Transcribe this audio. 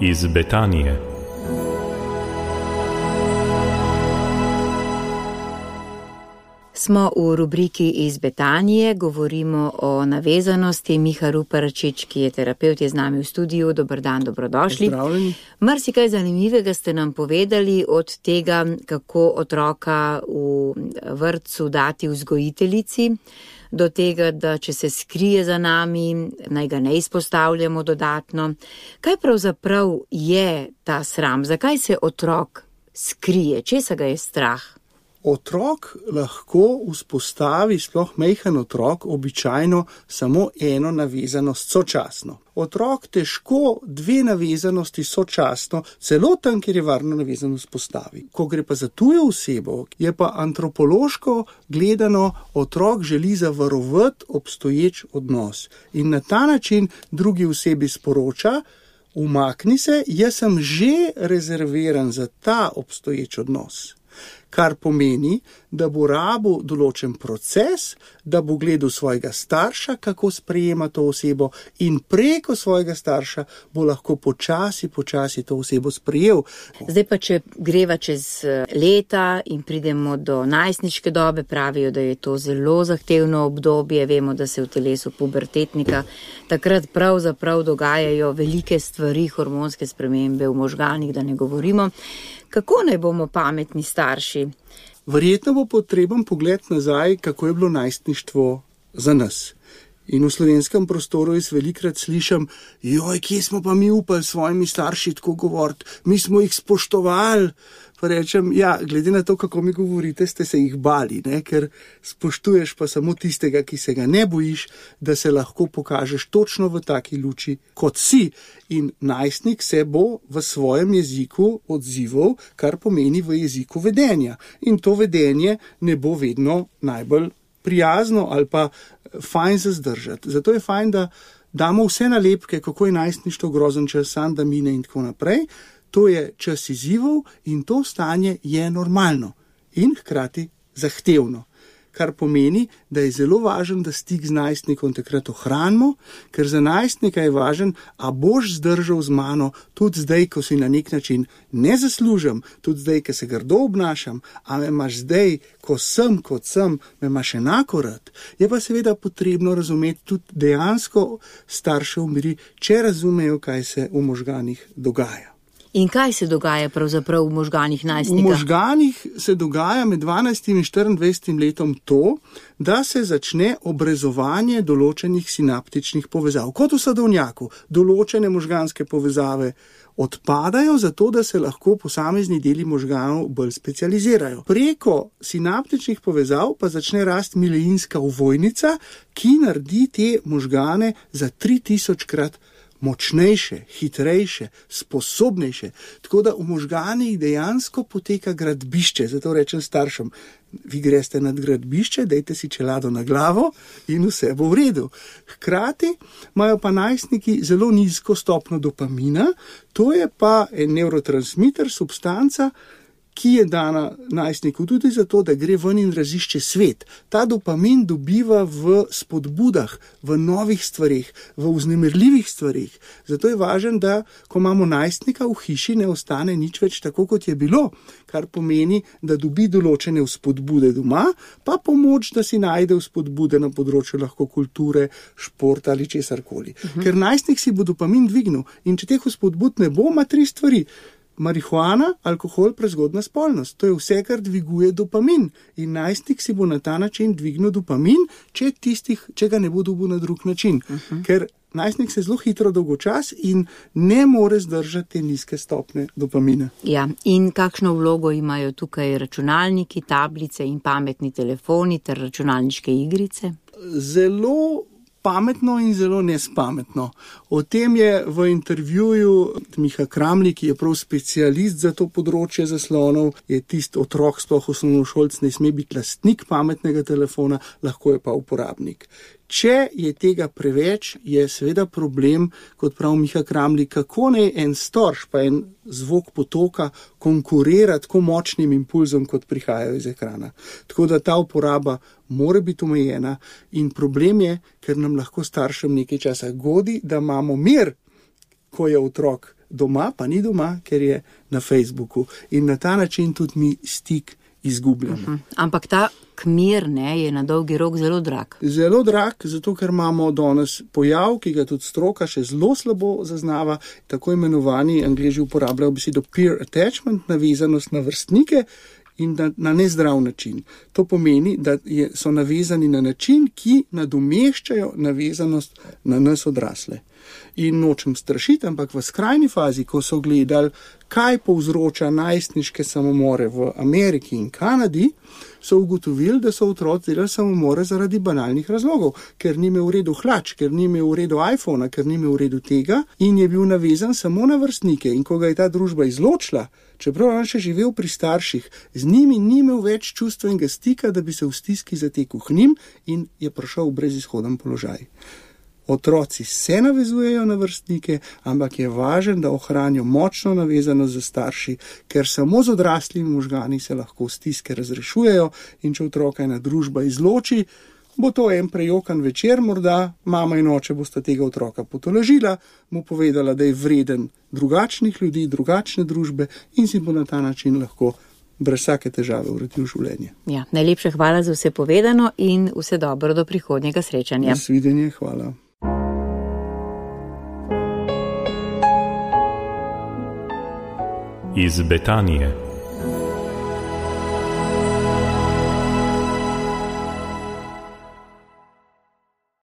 iz Betanije. Smo v rubriki iz Betanije, govorimo o navezanosti. Miha Ruparačič, ki je terapevt, je z nami v studiu. Dober dan, dobrodošli. Pozdravljeni. Marsikaj zanimivega ste nam povedali, od tega, kako otroka v vrtcu dati vzgojiteljici, do tega, da če se skrije za nami, naj ga ne izpostavljamo dodatno. Kaj pravzaprav je ta sram? Zakaj se otrok skrije? Česa ga je strah? Otrok lahko vzpostavi, sploh majhen otrok, običajno samo eno navezanost sočasno. Otrok težko dve navezanosti sočasno, celo tam, kjer je varno navezanost postavi. Ko gre pa za tujo osebo, je pa antropološko gledano, otrok želi zavarovati obstoječ odnos. In na ta način drugi osebi sporoča, umakni se, jaz sem že rezerviran za ta obstoječ odnos. Kar pomeni, da bo rabil določen proces, da bo gledal svojega starša, kako sprejema to osebo, in preko svojega starša bo lahko počasi to osebo sprejel. Zdaj pa, če greva čez leta in pridemo do najstniške dobe, pravijo, da je to zelo zahtevno obdobje, vemo, da se v telesu pubertetnika takrat pravzaprav dogajajo velike stvari, hormonske spremembe v možganih, da ne govorimo. Kako naj bomo pametni starši? Verjetno bo potreben pogled nazaj, kako je bilo najstništvo za nas. In v slovenskem prostoru jaz velikrat slišim, kje smo pa mi upali s svojimi starši tako govoriti, mi smo jih spoštovali. Pa rečem, glede na to, kako mi govorite, ste se jih bali, ne? Ker spoštuješ pa samo tistega, ki se ga ne bojiš, da se lahko pokažeš točno v taki luči, kot si. In najstnik se bo v svojem jeziku odzival, kar pomeni v jeziku vedenja. In to vedenje ne bo vedno najbolj prijazno ali pa fajn za zdržati. Zato je fajn, da damo vse nalepke, kako je najstništvo grozen čas, sam da mine in tako naprej. To je čas izzivov in to stanje je normalno in hkrati zahtevno. Kar pomeni, da je zelo važen, da stik z najstnikom takrat ohranimo, ker za najstnika je važen, a boš zdržal z mano tudi zdaj, ko si na nek način ne zaslužim, tudi zdaj, ko se grdo obnašam, a me imaš zdaj, ko sem, kot sem, me imaš enako rad. Je pa seveda potrebno razumeti tudi dejansko starše umiri, če razumejo, kaj se v možganih dogaja. In kaj se dogaja pravzaprav v možganih najstnika? V možganih se dogaja med 12 in 24 letom to, da se začne obrezovanje določenih sinaptičnih povezav. Kot v sadovnjaku, določene možganske povezave odpadajo, zato da se lahko posamezni deli možganov bolj specializirajo. Preko sinaptičnih povezav pa začne rasti mileinska ovojnica, ki naredi te možgane za 3000-krat močnejše, hitrejše, sposobnejše. Tako da v možganih dejansko poteka gradbišče. Zato rečem staršem, vi greste nad gradbišče, dajte si čelado na glavo in vse bo v redu. Hkrati imajo pa najstniki zelo nizko stopnjo dopamina, to je pa en nevrotransmiter, substanca, ki je dana najstniku tudi zato, da gre ven in razišče svet. Ta dopamin dobiva v spodbudah, v novih stvarih, v vznemirljivih stvarih. Zato je važno, da ko imamo najstnika v hiši, ne ostane nič več tako, kot je bilo, kar pomeni, da dobi določene vzpodbude doma, pa pomoč, da si najde vzpodbude na področju lahko kulture, športa ali česarkoli. Ker najstnik si bo dopamin dvignil in če teh vzpodbud ne bo, ima 3 stvari. Marihuana, alkohol, prezgodna spolnost. To je vse, kar dviguje dopamin. In najstnik si bo na ta način dvignil dopamin, če ga ne bo dobil na drug način. Ker najstnik se zelo hitro dolgočas in ne more zdržati te nizke stopne dopamina. Ja, in kakšno vlogo imajo tukaj računalniki, tablice in pametni telefoni ter računalniške igrice? Zelo pametno in zelo nespametno. O tem je v intervjuju Miha Kramli, ki je prav specialist za to področje zaslonov, je tisti otrok, sploh osnovnošolc, ne sme biti lastnik pametnega telefona, lahko je pa uporabnik. Če je tega preveč, je seveda problem, kot pravi Miha Kramli, kako naj en storž pa en zvok potoka konkurira tako močnim impulzom, kot prihajajo iz ekrana. Tako da ta uporaba mora biti omejena in problem je, ker nam lahko staršem nekaj časa godi, da imamo mir, ko je otrok doma pa ni doma, ker je na Facebooku. In na ta način tudi mi stik izgubljamo. Ampak ta kmir, ne, je na dolgi rok zelo drag. Zelo drag, zato ker imamo danes pojav, ki ga tudi stroka še zelo slabo zaznava, tako imenovani, Angleži uporabljajo besedo peer attachment, navezanost na vrstnike in na nezdrav način. To pomeni, da so navezani na način, ki nadomeščajo navezanost na nas odrasle. In nočem strašiti, ampak v skrajni fazi, ko so gledali, kaj povzroča najstniške samomore v Ameriki in Kanadi, so ugotovili, da so otroci delali samomore zaradi banalnih razlogov, ker ni imel v redu hlač, ker ni imel v redu iPhona, ker ni imel v redu tega in je bil navezan samo na vrstnike. In ko ga je ta družba izločila, čeprav on še živel pri starših, z njimi ni imel več čustvenega stika, da bi se v stiski zatekel k njim in je prišel v brezizhoden položaj. Otroci se navezujejo na vrstnike, ampak je važno, da ohranijo močno navezanost za starši, ker samo z odraslimi možgani se lahko stiske razrešujejo in če otroka ena družba izloči, bo to en prejokan večer, morda mama in oče bosta tega otroka potolažila, mu povedala, da je vreden drugačnih ljudi, drugačne družbe in si bo na ta način lahko brez vsake težave uredil življenje. Ja, najlepša hvala za vse povedano in vse dobro do prihodnjega srečanja. Nasvidenje, hvala. Iz Betanije.